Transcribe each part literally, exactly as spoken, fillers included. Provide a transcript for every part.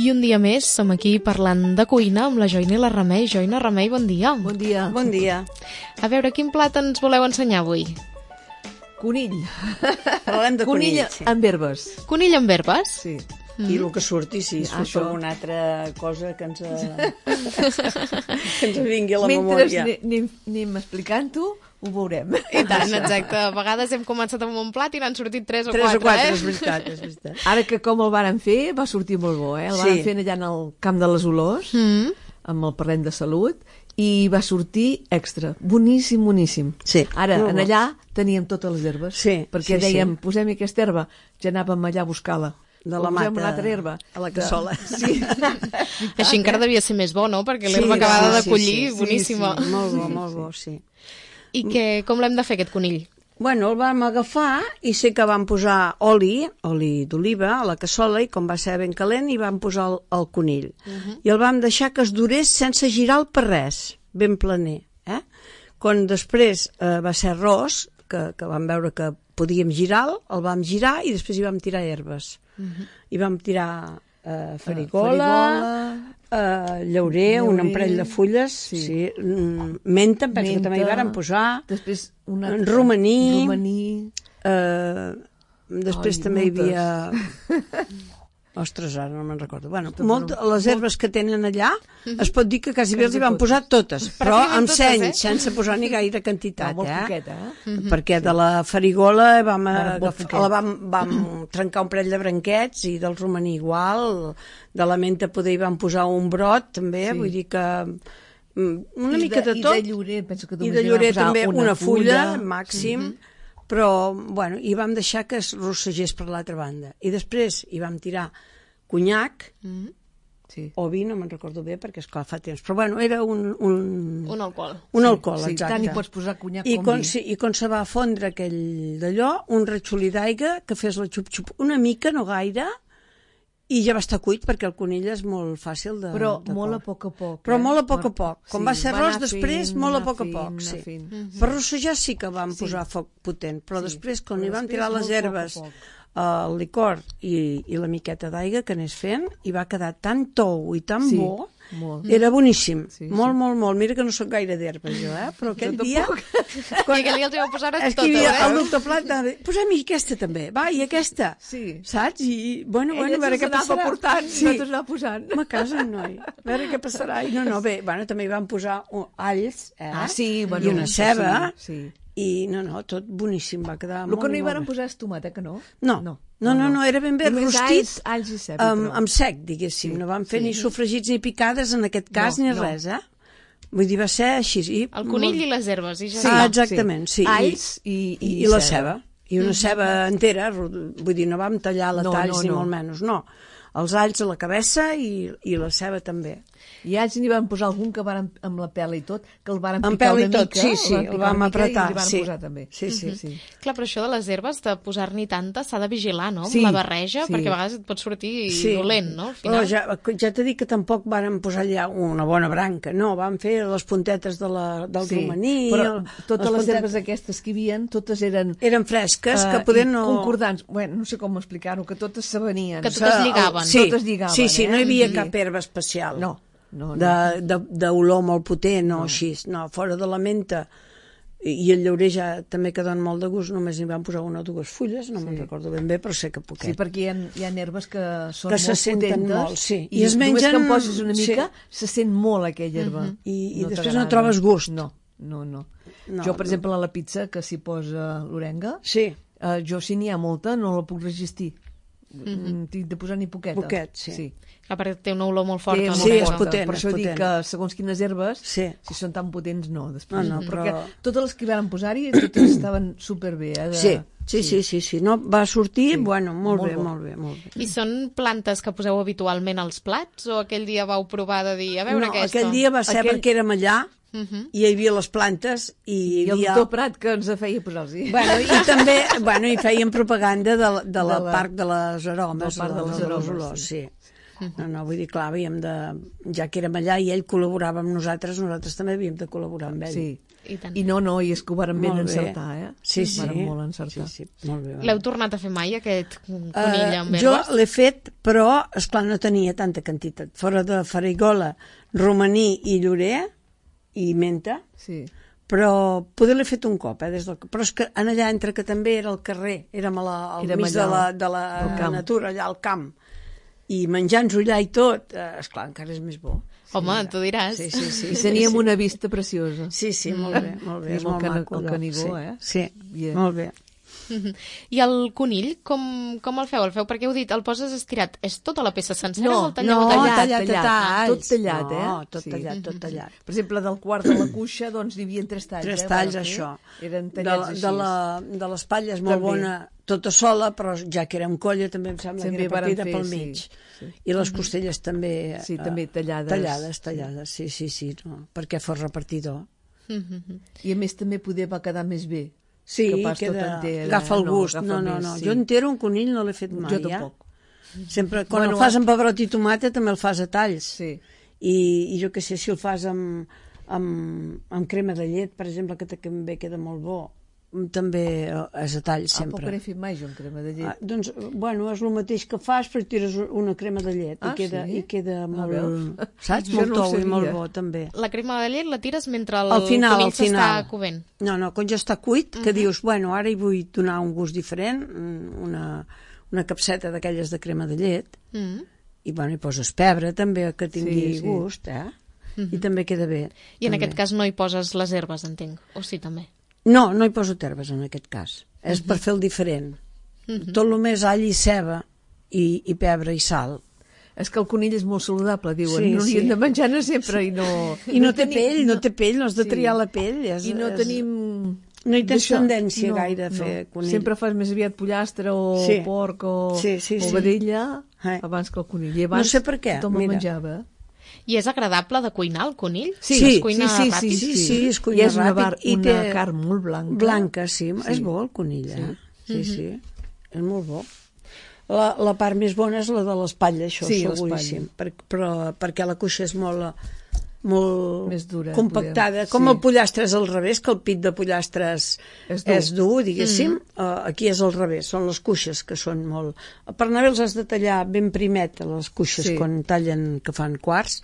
I un dia més som aquí parlant de cuina amb la Joina i la Remei. Joina, Remei, bon dia. Bon dia. Bon dia. A veure, quin plat ens voleu ensenyar avui? Conill. Parlem de conill, conill sí. amb herbes. Conill amb herbes? Sí. Mm. I el que surti, si surt Això. alguna altra cosa que ens, que ens vingui a la Mentre memòria. Mentre anem, anem explicant-ho, ho veurem. I tant, exacte. A vegades hem començat amb un plat i n'han sortit tres o Tres quatre, o quatre, eh? és veritat, és veritat. Ara que com el varen fer, va sortir molt bo, eh? El Sí. varen fer allà en el Camp de les Olors, Mm. amb el Parlem de Salut, i va sortir extra. Boníssim, boníssim. Sí, Ara, molt en bo. allà teníem totes les herbes. Sí, perquè sí, dèiem, sí. posem aquesta herba, ja anàvem allà a buscar-la. De la O posem mata una altra herba. a la cassola. De... Sí. Així encara devia ser més bo, no? Perquè Sí, l'herba acabada sí, de collir, sí, sí, boníssima. Sí, molt bo, molt bo, sí. I que, com l'hem de fer, aquest conill? Bueno, el vam agafar i sé que vam posar oli, oli d'oliva, a la cassola, i com va ser ben calent, hi vam posar el, el conill. Uh -huh. I el vam deixar que es durés sense girar-lo per res, ben planer. Eh? Quan després eh, va ser arròs, que, que vam veure que podíem girar-lo, el vam girar i després hi vam tirar herbes. Uh -huh. Hi vam tirar eh, farigola, eh, llaurer, Llaurer, un parell de fulles, sí. sí. Sí, mm, menta, em penso Menta, que també hi varen posar, després una... romaní, romaní. Eh, després Ai, també moltes. hi havia... Ostres, ara no me'n recordo. Bueno, molt, les herbes que tenen allà, es pot dir que quasi bé els hi van posar totes, però Pràcticament amb totes, seny, eh? sense posar ni gaire quantitat, No, molt eh? poqueta, eh? Perquè de la farigola vam, Ara, molt agafar, poquet. la vam, vam trencar un parell de branquets i del romaní igual, de la menta poder hi vam posar un brot també, Sí. vull dir que mm, una I mica de, i tot. de llorer, penso que I només de hi vam llorer posar també una, una fulla, fulla màxim, Mhm. però, bueno, i vam deixar que es rossegés per l'altra banda. I després hi vam tirar conyac, Mm. Sí. o vi, no me'n recordo bé, perquè esclar fa temps, però bueno, era un... Un, Un alcohol. un alcohol, Sí, exacte. tant hi pots posar conyac I com quan, vi. sí, I quan se va fondre aquell d'allò, un ratxolí d'aigua que fes la xup-xup una mica, no gaire, i ja va estar cuit, perquè el conill és molt fàcil de... Però de molt a cor. poc a poc. Però eh? molt a poc a poc. Quan Sí, va ser va arròs, anar després, fent, molt a anar poc a fent, poc, anar sí. fent. Per rossejar sí que vam Sí. posar foc potent, però Sí. després, quan Però hi vam després tirar les molt poc a herbes, poc. el licor i, i la miqueta d'aigua que anés fent, i va quedar tan tou i tan Sí, bo, molt. era boníssim. Sí, sí. Molt, molt, molt. Mira que no sóc gaire d'herbes, jo, eh? Però aquell Jo dia... I aquell dia els hi vau posar És que totes, hi havia el eh? doctor Plat, anava, posem-hi aquesta també, va, i aquesta. Sí. Saps? I, bueno, bueno, a veure què anava passarà. portant, Sí. nosaltres anava posant. Home, a casa, noi. A veure què passarà. I no, no, bé, bueno, també hi vam posar uh, alls, eh? Ah, sí, bueno, I una ceba. Sí, sí. I no, no, tot boníssim, va quedar El molt, que no hi molt varen bé. posar és tomata, que no? No, no, no, no, no era ben bé Només rostit, alls, alls i ceba. amb, però. amb sec, diguéssim. Sí, No vam fer sí. ni sofregits ni picades en aquest cas, No, ni no. res, eh? Vull dir, va ser així. I El conill molt... i les herbes, i ja Sí. està. Ah, exactament, sí. Alls i, i, I, i la ceba. I una ceba entera, ro- vull dir, no vam tallar la No, talls no, ni no. molt menys, no. Els alls a la cabeça i, i la ceba també. I alls n'hi van posar algun que varen, amb la pela i tot, que el varen Amb picar pèl i una tot, mica. sí, sí, van el picar vam una mica apretar, I li van sí. posar també. Sí, sí. sí. Clar, però això de les herbes, de posar-n'hi tantes, s'ha de vigilar, no? Amb Sí, la barreja, sí. perquè a vegades et pot sortir Sí. dolent, no? Al Però final. ja, ja t'he dit que tampoc varen posar allà una bona branca, no, vam fer les puntetes de la, del Sí, romaní. però el- totes les puntetes- herbes aquestes que hi havia, totes eren... Eren fresques, que eh, poder i no... concordants. Bueno, no sé com explicar-ho, que totes s'avenien. Que totes lligaven. Sí, Totes lligaven, sí, sí, no hi havia eh? cap herba especial. No, no, no. De- de- d'olor molt potent, no, així. No, fora de la menta i el llaurer ja també que donen molt de gust, només hi van posar una o dues fulles, no me'n recordo ben bé, però sé que poquet. Sí, perquè hi ha, hi ha herbes que són Que se molt senten potentes molt, sí. i, I es només mengen- que en poses una sí. mica se sent molt aquella herba. I, i després t'agrada. no trobes gust. No, no, no. No, jo, per no. exemple, a la pizza que s'hi posa l'orenga, Sí, eh, jo si n'hi ha molta no la puc resistir. Mm-hmm. Tinc de posar ni poqueta. Poquet, sí. sí. Clar, perquè té una olor molt forta. Té no? sí, és molta. potent, Per és això dic potent. que segons quines herbes, Sí. si són tan potents, no. Després, No, no, però- Perquè totes les que hi van posar-hi, totes estaven superbé. Eh, de... sí, sí, sí, sí, sí. No, va sortir, Sí. bueno, molt, Molt bé, bo. molt bé, molt bé. I són plantes que poseu habitualment als plats o aquell dia vau provar de dir, a veure no, aquesta? aquell dia va ser Aquell- perquè érem allà Uh-huh. i hi havia les plantes i hi I el havia... doctor Prat que ens feia posar-los-hi. Bueno, i també bueno, hi feien propaganda de, la- de la De la- Parc de les Aromes, del Parc de les de Aromes, olors, sí. No, no, vull dir, clar, havíem de... Ja que érem allà i ell col·laborava amb nosaltres, nosaltres també havíem de col·laborar amb ell. Sí. I tant. I no, no, i és que ho varen ben Molt bé. encertar, eh? Sí, sí. Varen molt encertar. Sí, sí, molt bé. L'heu tornat a fer mai, aquest conill amb Uh, jo herbes? l'he fet, però, esclar, no tenia tanta quantitat. Fora de farigola, romaní i llorer i menta, Sí. però poder l'he fet un cop, eh, des del... però és que en allà entre que també era al carrer, érem a la, al Érem mig de allà, la, de la al camp. natura, allà al camp, i menjant-nos allà i tot, eh, esclar, encara és més bo. Home, tu diràs. Sí, sí, sí. I sí, teníem sí. una vista preciosa. Sí, sí, molt bé, molt bé, Teníem és el molt cana- maco. el allò, Canigó, sí. eh? Sí, Bien. molt bé. I el conill, com, com el feu? El feu perquè heu dit, el poses estirat. És tota la peça sencera No, o el talleu no, a tallat? tallat, tallat, tallat. tot tallat, eh? No, tot Sí. tallat, tot tallat. Per exemple, del quart de la cuixa, doncs, hi havia tres talls. Tres eh, talls, varen fer. això. Eren De, tallats la- així. de, la, de l'espatlla és molt També. bona, tota sola, però ja que era amb colla també em sembla També que era varen partida fer, pel sí, mig. sí. I les costelles també... Sí, eh, també tallades. Tallades, tallades, sí, sí, sí, no, perquè fos repartidor. I a més també poder va quedar més bé. Sí, que pas tot queda, enter, agafa el no, gust. agafa No, no, més, no. sí. Jo entero un conill no l'he fet mai, Jo ja. tampoc. Sempre, quan Bueno, el fas amb pebrot i tomata també el fas a talls. Sí. I, i jo què sé, si el fas amb, amb, amb crema de llet, per exemple, que també queda molt bo, també és a talls Ah, sempre. poc n'he fet mai jo amb crema de Ah, llet. doncs, bueno, és el mateix que fas, però tires una crema de llet Ah, i, queda, sí? i queda Ah, molt, veus? saps? Jo Molt no ho tou i molt sabia. bo, també. La crema de llet la tires mentre el Al final, conill al final. s'està covent. No, no, quan ja està cuit, que dius, bueno, ara hi vull donar un gust diferent, una, una capseta d'aquelles de crema de llet, Mm. i bueno, hi poses pebre també, que tingui Sí, sí. gust, eh? I també queda bé. I en també. aquest cas no hi poses les herbes, entenc. O sí, també. No, no hi poso herbes en aquest cas. És per fer el diferent. Tot el més all i ceba i, i pebre i sal. És que el conill és molt saludable, diuen. Sí, no n'hi sí. hem de menjar-ne sempre i no... I no, té tenim- pell, no té pell, no has de Sí. triar la pell. És, I no és... tenim... No hi tens d'això. tendència gaire a fer conill. Sempre fas més aviat pollastre o Sí. porc o, Sí, sí, o sí. vedella Eh. abans que el conill. I abans No sé per què, tothom mira. el menjava. I és agradable de cuinar, el conill? Sí, es cuina sí, sí, ràpid? sí, Sí, sí, es cuina I és una, ràpid bar, i una té- carn molt blanca. Blanca, sí. És bo el conill, eh? Sí, sí. És molt bo. La, la part més bona és la de l'espatlla, això, Sí, seguríssim. Per, però, perquè la cuixa és molt, molt Més dura, compactada. podem- Com sí. el pollastre és al revés, que el pit de pollastre és, És és dur. dur, diguéssim. Uh, aquí és al revés, són les cuixes que són molt... Per anar bé els has de tallar ben primet, les cuixes, Sí. quan tallen, que fan quarts,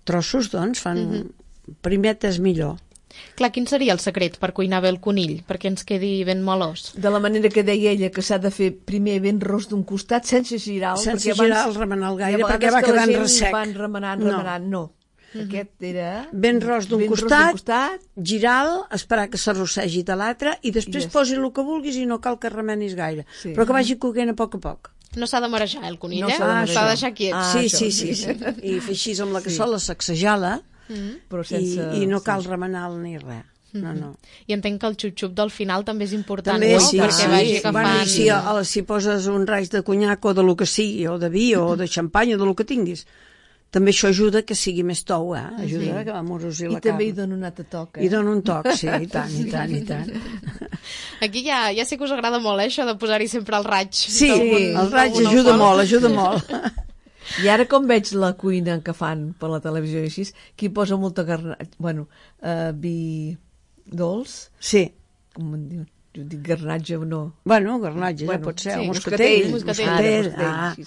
trossos, doncs, fan... Primet és millor. Clar, quin seria el secret per cuinar bé el conill? Perquè ens quedi ben melós. De la manera que deia ella, que s'ha de fer primer ben ros d'un costat, sense girar-lo. Sense perquè abans- girar-lo, remenar-lo gaire, i a perquè vegades va que la quedant gent ressec. van remenant, No. remenant, no. Aquest era... Ben ros d'un ben ros costat, costat, girar-lo, esperar que s'arrossegi de l'altre i després I ja posi el que vulguis i no cal que remenis gaire. Sí. Però que vagi coguent a poc a poc. No s'ha de marejar, el conill, No eh? s'ha de marejar. S'ha de deixar quiet. Ah, sí, això, sí, sí, sí. I fer així amb la cassola, sacsejar-la però i, sense... i no cal remenar-la ni res. No, no. I entenc que el xup-xup del final també és important, També, no? sí, Perquè sí. vagi agafant... Bueno, i si, a- si poses un raig de conyac o de lo que sigui, o de vi, o de xampany, o de lo que tinguis, també això ajuda que sigui més tou, eh? Ajuda sí. a amorosir I la també hi carn. dona un altre toc, eh? I dona un toc, sí, i tant, i tant, i tant. Aquí ja, ja sé que us agrada molt, eh, això de posar-hi sempre el raig. Sí, d'algun- el raig d'algun ajuda alcohol. molt, ajuda molt. I ara com veig la cuina que fan per la televisió i així, qui posa molta garnatge, bueno, uh, vi dolç, Sí. com en diuen, jo dic garnatge o no. Bueno, garnatge, ja Bueno, pot ser, sí, o moscatell. moscatell. moscatell, Ara, ah. així.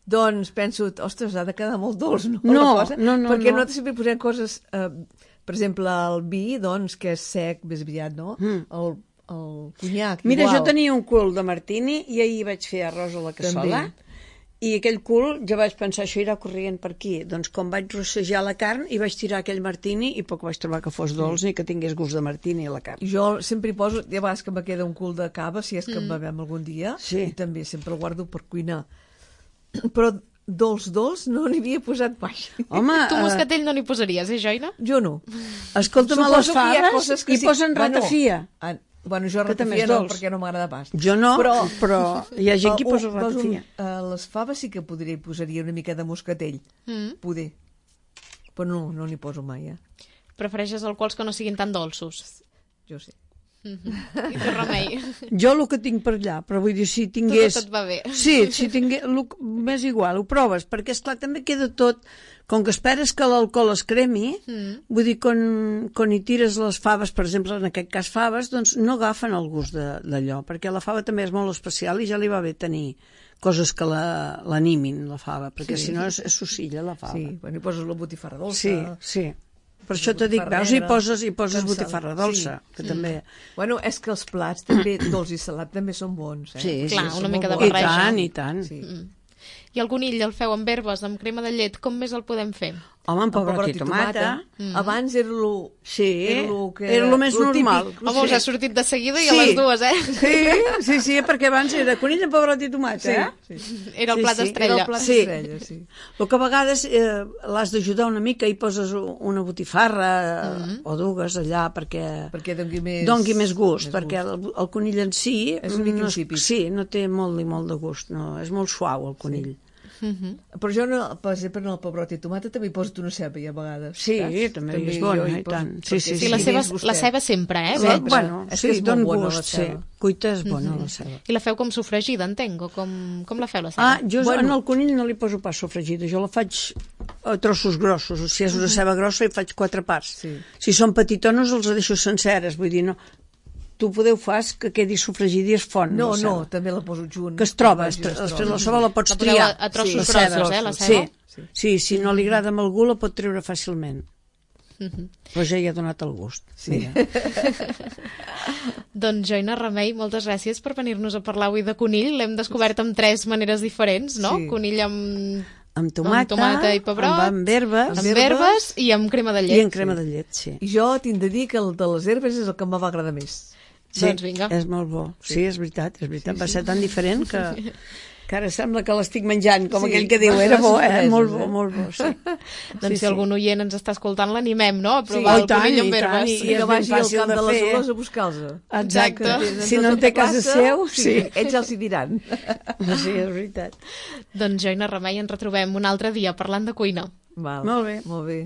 Doncs penso, ostres, ha de quedar molt dolç, no? No, la cosa? no, no, Perquè no. nosaltres sempre posem coses, eh, per exemple, el vi, doncs, que és sec, més aviat, no? Mm. El, el conyac, Mira, igual. jo tenia un cul de martini i ahir vaig fer arròs a la cassola. També. I aquell cul, ja vaig pensar, això irà corrient per aquí. Doncs com vaig rossejar la carn i vaig tirar aquell martini i poc vaig trobar que fos dolç ni que tingués gust de martini a la carn. I jo sempre hi poso, hi ha vegades que me queda un cul de cava, si és que en bevem algun dia, Sí. i també sempre el guardo per cuinar. Però dolç, dolç, no n'hi havia posat mai. Home, Tu eh, moscatell no n'hi posaries, eh, Joina? Jo no. escolta'm, a les Suposo que hi ha faves coses que hi sí. posen Bueno, ratafia. ah, bueno, jo Que també ratafia és no, dolç. perquè no m'agrada pas. Jo no, però, però hi ha gent que hi Uh, posa uh, veus un- ratafia. A les faves sí que podria, hi posaria una mica de moscatell. Mm. Poder. Però no, no n'hi poso mai, eh? Prefereixes alcohols que no siguin tan dolços? Jo sé. Mm-hmm. I tu, Remei? Jo el que tinc per allà, però vull dir, si tingués... Tot et va bé. Sí, si tingués... M'és igual, ho proves, perquè, esclar, també queda tot... Com que esperes que l'alcohol es cremi, mm. vull dir, quan, quan hi tires les faves, per exemple, en aquest cas faves, doncs no agafen el gust d'allò, perquè la fava també és molt especial i ja li va bé tenir coses que l'animin, la, la fava, perquè sí. Si no és, és sucilla, la fava. Sí, bueno, hi poses la botifarra dolça. Sí, sí. Per això t'ho dic, veus, hi poses, hi poses botifarra dolça, sí. Que mm. també... Bueno, és que els plats també, dolç i salat, també són bons, eh? Sí, clar, sí, una mica de bons. barreja. I tant, i tant. Sí. Mm. I el conill el feu amb herbes, amb crema de llet, com més el podem fer? Home, amb pebrot i tomata. Mm. Abans era el sí, era lo que era el més normal. Típic. Home, us ha sortit de seguida i sí. a les dues, eh? Sí, sí, sí, perquè abans era conill amb pebrot i tomata, sí, eh? Sí. Era el plat sí, sí. estrella. Era el plat sí. estrella, sí. El que a vegades eh, l'has d'ajudar una mica i poses una botifarra mm -hmm. o dues allà perquè, perquè dongui més, dongui més gust, més perquè gust. El, el conill en si és una mica no, insípid. sí, no té molt ni molt de gust, no, és molt suau el conill. Sí. Mm-hmm. Però jo, no, per exemple, en el pebrot i tomata també hi poso una ceba i a vegades. Sí, saps? també, també és bona, i tant. Sí, sí, sí, sí. la, ceba, la ceba sempre, eh? Sí, bueno, és sí, que és don molt bona, gust, sí. Cuita és bona, mm-hmm. la ceba. I la feu com sofregida, entenc, o com, com la feu, la ceba? Ah, jo bueno. En el conill no li poso pas sofregida, jo la faig a trossos grossos, o si és una ceba grossa hi faig quatre parts. Sí. Si són petitones els deixo senceres, vull dir, no... Tu podeu fas que quedi sofregida i es font. No, no, també la poso junt. Que es troba, després la ceba la pots la triar. A, a trossos sí, grossos, eh, la ceba? Sí, sí. sí si no li agrada amb algú la pot treure fàcilment. Mm-hmm. Però ja hi ha donat el gust. Sí. Doncs Joina Remei, moltes gràcies per venir-nos a parlar avui de conill. L'hem descobert amb tres maneres diferents, no? Sí. Conill amb... amb tomata, amb tomata i pebrot, amb, amb herbes, amb herbes i amb crema de llet. I amb crema sí. de llet, sí. I jo tinc de dir que el de les herbes és el que em va agradar més. Sí, doncs vinga. És molt bo. Sí, sí és veritat, és veritat. Sí, sí. Va ser tan diferent que, que ara sembla que l'estic menjant, com sí, aquell que diu, era bo, eh? Molt bo, molt bo, sí. Doncs sí, si algun oient ens està escoltant, l'animem, no? A sí. provar oh, el conill amb herbes. I, I, i que vagi al camp de, de les olors a buscar-los. Exacte. Si no en té casa seu, sí. sí. Ells ja els hi diran. Sí, és veritat. Doncs Joina Remei, ens retrobem un altre dia parlant de cuina. Val. Molt bé. Molt bé.